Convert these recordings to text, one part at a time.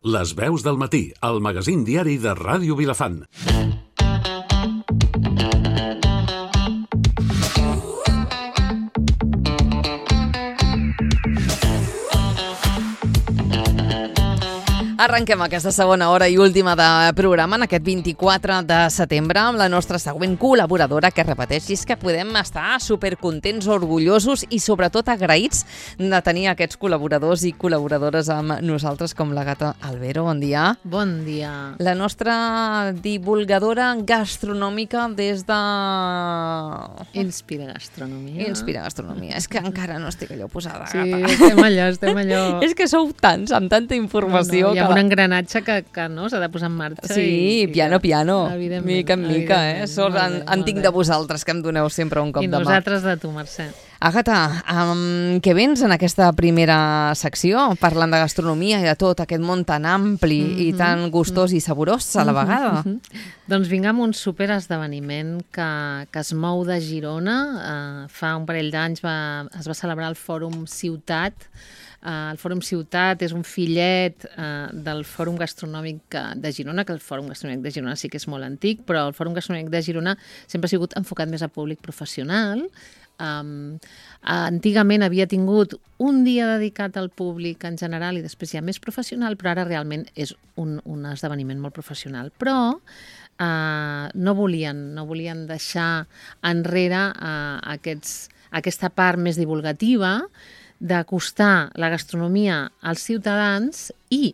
Les veus del matí, el magazín diari de Ràdio Vilafant. Arrenquem aquesta segona hora i última de programa en aquest 24 de setembre amb la nostra següent col·laboradora, que repeteix, és que podem estar supercontents, orgullosos i sobretot agraïts de tenir aquests col·laboradors i col·laboradores amb nosaltres, com la Gata Albero. Bon dia. Bon dia. La nostra divulgadora gastronòmica des de... Inspira Gastronomia. Inspira Gastronomia. És que encara no estic allò posada, Sí, Gata. estem allò. És que sou tants, amb tanta informació. Hi ha un engranatge que no s'ha de posar en marxa. Sí, piano, evidentment, mica en mica, Sort evidentment, en tinc de vosaltres, que em doneu sempre un cop de mà. I nosaltres de tu, Mercè. Agata, què vens en aquesta primera secció, parlant de gastronomia i de tot aquest món tan ampli i tan gustós i saborós a la vegada? Doncs vinc amb un superesdeveniment que es mou de Girona. Fa un parell d'anys es va celebrar el Fòrum Ciutat. El Fòrum Ciutat és un fillet del Fòrum Gastronòmic de Girona, que el Fòrum Gastronòmic de Girona sí que és molt antic, però el Fòrum Gastronòmic de Girona sempre ha sigut enfocat més a públic professional. Antigament havia tingut un dia dedicat al públic en general i després ja més professional, però ara realment és un esdeveniment molt professional. Però no volien deixar enrere aquesta part més divulgativa d'acostar la gastronomia als ciutadans i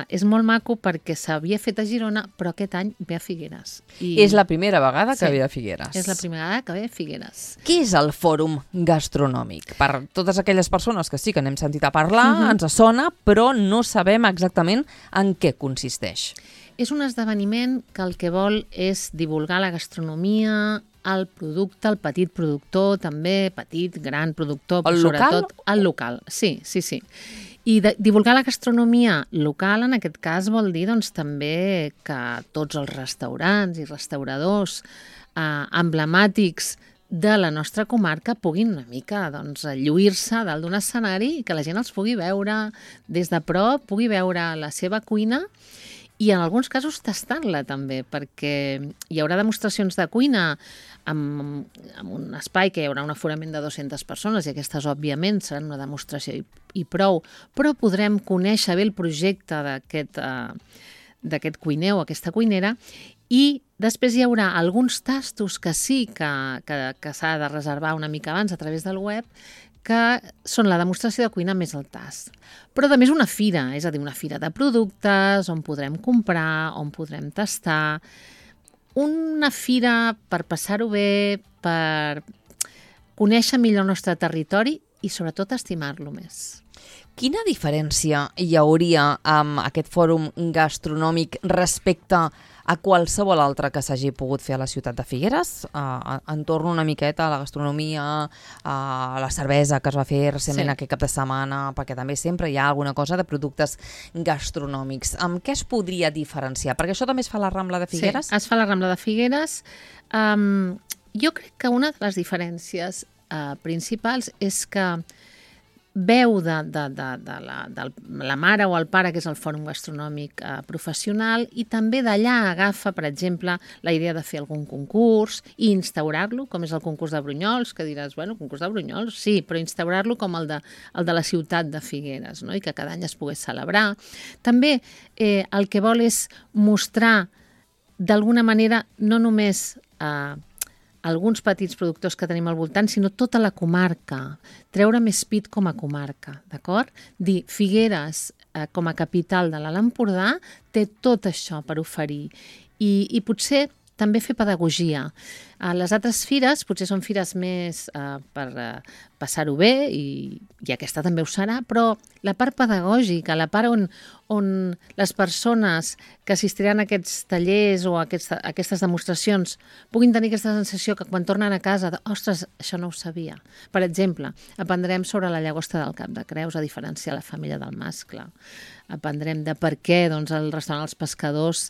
és molt maco perquè s'havia fet a Girona, però aquest any ve a Figueres. És la primera vegada que ve a Figueres. És la primera vegada que ve a Figueres. Què és el Fòrum Gastronòmic? Per totes aquelles persones que sí que n'hem sentit a parlar, ens sona, però no sabem exactament en què consisteix. És un esdeveniment que el que vol és divulgar la gastronomia, el producte, el petit productor, també petit, gran productor, però sobretot el local. Sí. I divulgar la gastronomia local, en aquest cas, vol dir doncs, també que tots els restaurants i restauradors emblemàtics de la nostra comarca puguin una mica lluir-se dalt d'un escenari i que la gent els pugui veure des de prop, pugui veure la seva cuina i en alguns casos tastant-la també, perquè hi haurà demostracions de cuina amb un espai que hi haurà un aforament de 200 persones i aquestes, òbviament, seran una demostració i prou, però podrem conèixer bé el projecte d'aquest cuiner o aquesta cuinera i després hi haurà alguns tastos que sí que s'ha de reservar una mica abans a través del web, que són la demostració de cuina més el tast. Però també és una fira, és a dir, una fira de productes on podrem comprar, on podrem tastar. Una fira per passar-ho bé, per conèixer millor el nostre territori i sobretot estimar-lo més. Quina diferència hi hauria amb aquest fòrum gastronòmic respecte a qualsevol altre que s'hagi pogut fer a la ciutat de Figueres? Entorn una miqueta a la gastronomia, a la cervesa que es va fer recentment aquest cap de setmana, perquè també sempre hi ha alguna cosa de productes gastronòmics. Amb què es podria diferenciar? Perquè això també es fa a la Rambla de Figueres? Sí, es fa a la Rambla de Figueres. Jo crec que una de les diferències principals és que veu de la mare o el pare, que és el Fòrum Gastronòmic professional, i també d'allà agafa, per exemple, la idea de fer algun concurs i instaurar-lo, com és el concurs de Brunyols, que diràs, bueno, concurs de Brunyols, sí, però instaurar-lo com el de la ciutat de Figueres, no? I que cada any es pogués celebrar. També el que vol és mostrar, d'alguna manera, no només alguns petits productors que tenim al voltant, sinó tota la comarca, treure més pit com a comarca, d'acord? Dir, Figueres, com a capital de l'Alt Empordà, té tot això per oferir i potser també fer pedagogia. Les altres fires potser són fires més per passar-ho bé i aquesta també ho serà, però la part pedagògica, la part on les persones que assistiran a aquests tallers o a aquestes demostracions puguin tenir aquesta sensació que quan tornen a casa, ostres, això no ho sabia. Per exemple, aprendrem sobre la llagosta del Cap de Creus, a diferenciar la femella del mascle. Aprendrem de per què el restaurant Els Pescadors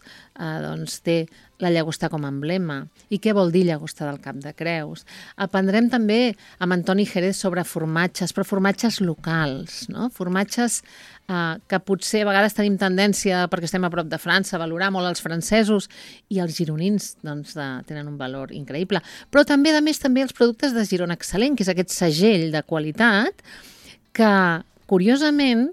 té la llagosta com a emblema i què vol dir llagosta llagosta del Cap de Creus. Aprendrem també amb Antoni Jerez sobre formatges, però formatges locals, no? Formatges que potser a vegades tenim tendència, perquè estem a prop de França, a valorar molt els francesos, i els gironins doncs, tenen un valor increïble. Però també, a més, també els productes de Girona Excel·lent, que és aquest segell de qualitat que, curiosament,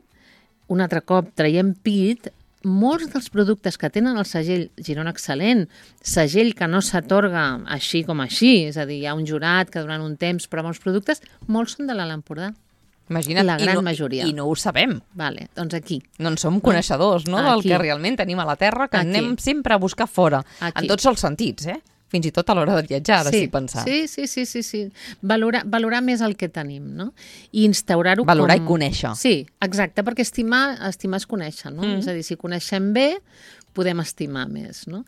un altre cop traiem pit, molts dels productes que tenen el segell Girona Excel·lent, segell que no s'atorga així com així, és a dir, hi ha un jurat que durant un temps prova uns productes, molts són de l'Alt Empordà. Imagina't, la gran majoria. I no ho sabem. Vale, doncs aquí. No en som coneixedors, no? Del Aquí. que realment tenim a la Terra, que Aquí. anem sempre a buscar fora. Aquí. En tots els sentits, Fins i tot a l'hora de viatjar, ara estic pensant. Sí. Valorar més el que tenim, no? I instaurar-ho Valorar i conèixer. Sí, exacte, perquè estimar és conèixer, no? És a dir, si coneixem bé, podem estimar més, no?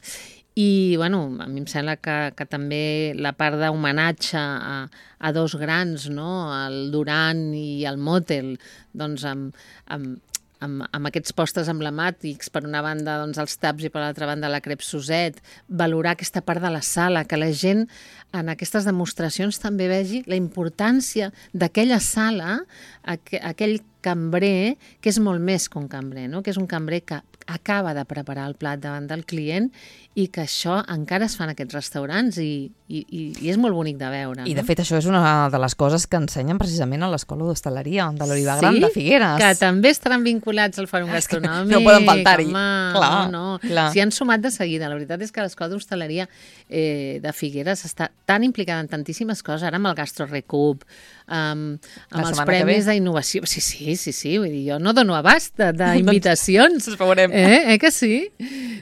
I, bueno, a mi em sembla que també la part d'homenatge a dos grans, no? El Duran i el Motel, doncs amb aquests postres emblemàtics, per una banda doncs, els taps i per l'altra banda la crep Suset, valorar aquesta part de la sala, que la gent en aquestes demostracions també vegi la importància d'aquella sala, aquell cambrer, que és molt més que un cambrer, no? Que és un cambrer que acaba de preparar el plat davant del client i que això encara es fa en aquests restaurants i és molt bonic de veure. I, no? de fet, això és una de les coses que ensenyen precisament a l'Escola d'Hostaleria de l'Oliva Gran de Figueres. Que també estaran vinculats al Fòrum Gastronòmic. No poden faltar-hi. Clar, clar. S'hi han sumat de seguida. La veritat és que l'Escola d'Hostaleria de Figueres està tan implicada en tantíssimes coses, ara amb el Gastro Recup, amb els premis d'innovació. Sí, vull dir, jo no dono abast d'invitacions. Ens veurem. Que sí?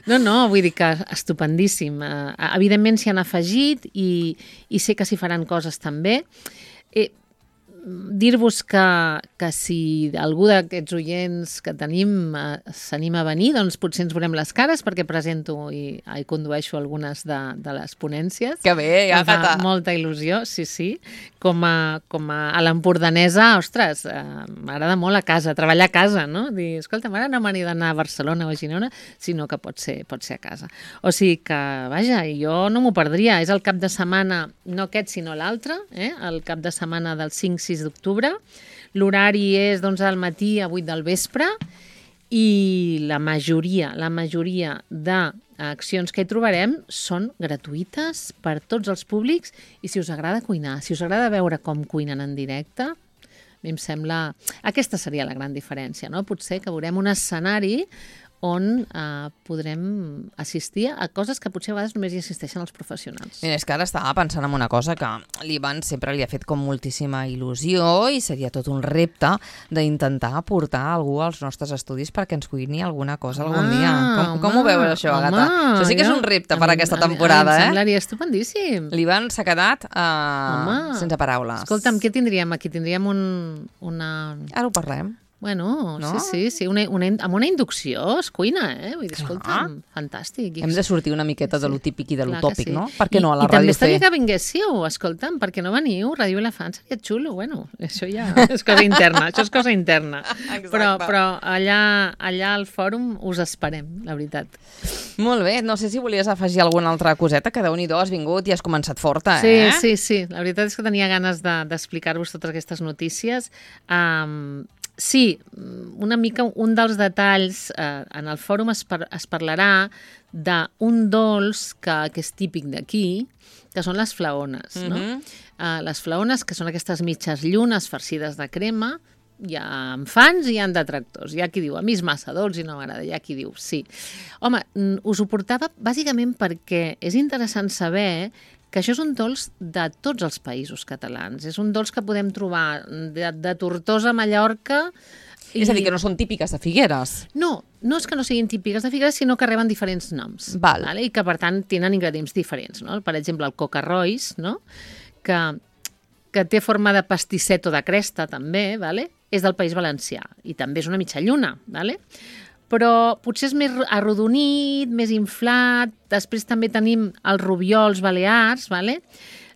No, vull dir que estupendíssim. Evidentment s'hi han afegit i sé que s'hi faran coses també. Dir-vos que si algú d'aquests oients que tenim s'anima a venir, doncs potser ens veurem les cares perquè presento i condueixo algunes de les ponències. Que bé, Àgata. Fa molta il·lusió, sí. Com a l'empordanesa, ostres, m'agrada molt a casa, treballar a casa, no? Dir, escolta, ara no m'he d'anar a Barcelona o a Girona, sinó que pot ser a casa. O sigui que, vaja, jo no m'ho perdria. És el cap de setmana, no aquest, sinó l'altre, el cap de setmana del 5-6 d'octubre. L'horari és d'11 del matí a 8 del vespre i la majoria d'accions que hi trobarem són gratuïtes per tots els públics i si us agrada cuinar, si us agrada veure com cuinen en directe, a mi em sembla... Aquesta seria la gran diferència, no? Potser que veurem un escenari on podrem assistir a coses que potser a vegades només hi assisteixen els professionals. Mira, és que ara estava pensant en una cosa que l'Ivan sempre li ha fet com moltíssima il·lusió i seria tot un repte d'intentar portar algú als nostres estudis perquè ens cuini alguna cosa algun dia. Com ho veus això, Àgata? Això sí que és un repte per aquesta temporada, Em semblaria estupendíssim. L'Ivan s'ha quedat sense paraules. Escolta'm, què tindríem aquí? Tindríem una... Ara ho parlem. Bueno, no? Sí, amb una inducció es cuina, Vull dir, escolta'm, fantàstic. Hem de sortir una miqueta de lo típic i de lo tòpic, no? Per què no a la ràdio fer? I també estaria que vinguéssiu, escolta'm, per què no veniu? Ràdio Vilafant seria xulo, bueno, això ja és cosa interna, això és cosa interna. Però allà al fòrum us esperem, la veritat. Molt bé, no sé si volies afegir alguna altra coseta, que Déu-n'hi-do has vingut i has començat forta, Sí, la veritat és que tenia ganes d'explicar-vos totes aquestes notícies. Sí, una mica un dels detalls, en el fòrum es parlarà d'un dolç que és típic d'aquí, que són les flaones. No? Les flaones, que són aquestes mitges llunes farcides de crema, hi ha fans i hi ha detractors. Hi ha qui diu, a mi és massa dolç i no m'agrada. Hi ha qui diu, sí. Home, us ho portava bàsicament perquè és interessant saber que això és un dolç de tots els països catalans. És un dolç que podem trobar de Tortosa a Mallorca. És a dir, que no són típiques de Figueres. No és que no siguin típiques de Figueres, sinó que reben diferents noms. Vale? I que, per tant, tenen ingredients diferents. No? Per exemple, el coca rois, no? que té forma de pastisset o de cresta, també, vale? És del País Valencià. I també és una mitja lluna, vale? Però potser és més arrodonit, més inflat. Després també tenim els rubiols balears, vale?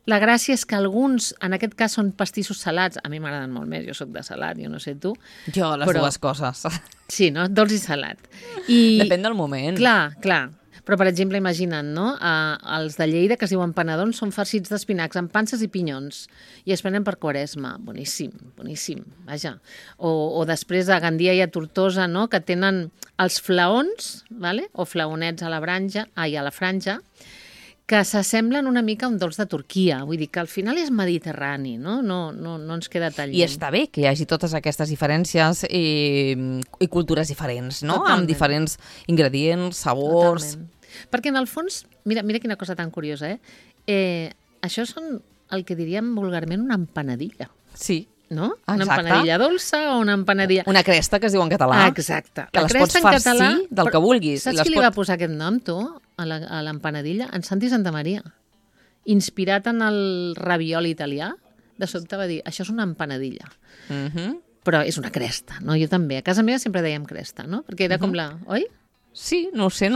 La gràcia és que alguns, en aquest cas, són pastissos salats. A mi m'agraden molt més, jo sóc de salat, jo no sé tu. Jo, les dues coses. Sí, no? Dolç i salat. Depèn del moment. Clar. Però, per exemple, imagina't, no? Els de Lleida, que es diuen panadons, són farcits d'espinacs amb panses i pinyons i es prenen per Quaresma. Boníssim, boníssim, vaja. O després a Gandia i a Tortosa, no? Que tenen els flaons, vale? O flaonets a la franja, que s'assemblen una mica a un dolç de Turquia. Vull dir que al final és mediterrani, no? No ens queda tan lluny. I està bé que hi hagi totes aquestes diferències i cultures diferents, no? Totalment. Amb diferents ingredients, sabors... Totalment. Perquè en el fons, mira quina cosa tan curiosa, això són el que diríem vulgarment una empanadilla, Sí. no? Exacte. Una empanadilla dolça o una empanadilla... Una cresta, que es diu en català. Exacte. Que les pots farcir del que vulguis. Saps qui li va posar aquest nom, tu, a l'empanadilla? En Santi Santamaria. Inspirat en el ravioli italià, de sobte va dir, això és una empanadilla. Però és una cresta, no? Jo també. A casa meva sempre dèiem cresta, no? Perquè era com la... Oi? Sí, no ho sé.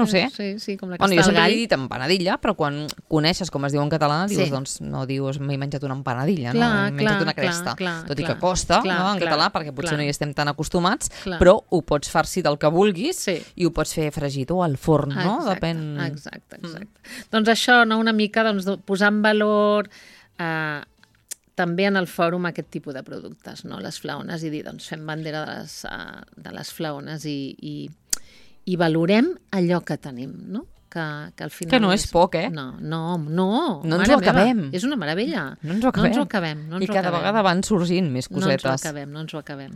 Sí, com la Bueno, jo cresta del sempre gall. he dit empanadilla, però quan coneixes com es diu en català, dius, Sí. doncs no dius m'he menjat una empanadilla, Clar, no? M'he menjat clar, una cresta. clar, Tot i clar, que costa, clar, no, en clar, català, perquè potser clar. no hi estem tan acostumats, Clar. però ho pots farcir del que vulguis Sí. i ho pots fer fregit o al forn, no? Depèn... Exacte. Doncs això, no? Una mica posar en valor també en el fòrum aquest tipus de productes, no? Les flaones, i dir, doncs fem bandera de les flaones i valorem allò que tenim, no? Que al final... Que no és poc, eh? No ens mare ho acabem. meva, és una meravella. No ens ho acabem. I cada vegada van sorgint més cosetes. No ens ho acabem.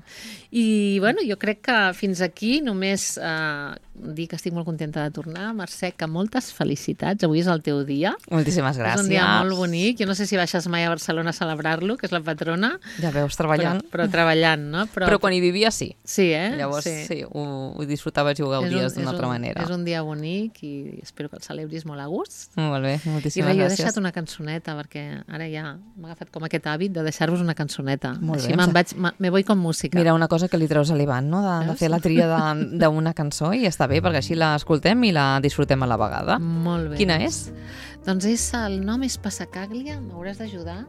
I, bueno, jo crec que fins aquí només dir que estic molt contenta de tornar. Mercè, que moltes felicitats. Avui és el teu dia. Moltíssimes gràcies. És un dia molt bonic. Jo no sé si baixes mai a Barcelona a celebrar-lo, que és la patrona. Ja veus, treballant. Però treballant, no? Però quan hi vivia, sí. Sí, Llavors, sí, ho disfrutaves i ho gaudies d'una altra manera. És un dia bonic i espero que el celebris molt a gust. Molt bé, moltíssimes gràcies. I jo he gràcies. deixat una cançoneta, perquè ara ja m'ha agafat com aquest hàbit de deixar-vos una cançoneta. Molt Així bé. me voy con música. Mira, una cosa que li treus a l'Ivan, no? De fer la tria d'una cançó, i està bé, perquè així l'escoltem i la disfrutem a la vegada. Molt bé. Quina és? Doncs el nom és Passacaglia, m'hauràs d'ajudar,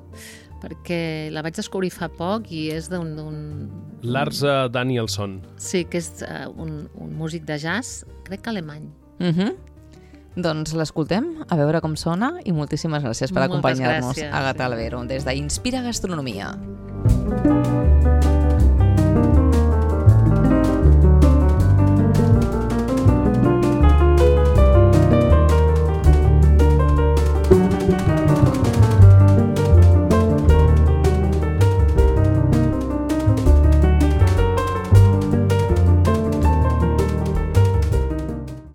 perquè la vaig descobrir fa poc i és d'un... Lars Danielsson. Sí, que és un músic de jazz, crec que alemany. Doncs l'escoltem, a veure com sona, i moltíssimes gràcies per Moltes acompanyar-nos gràcies. a Gata Albero, des d'Inspira Gastronomia.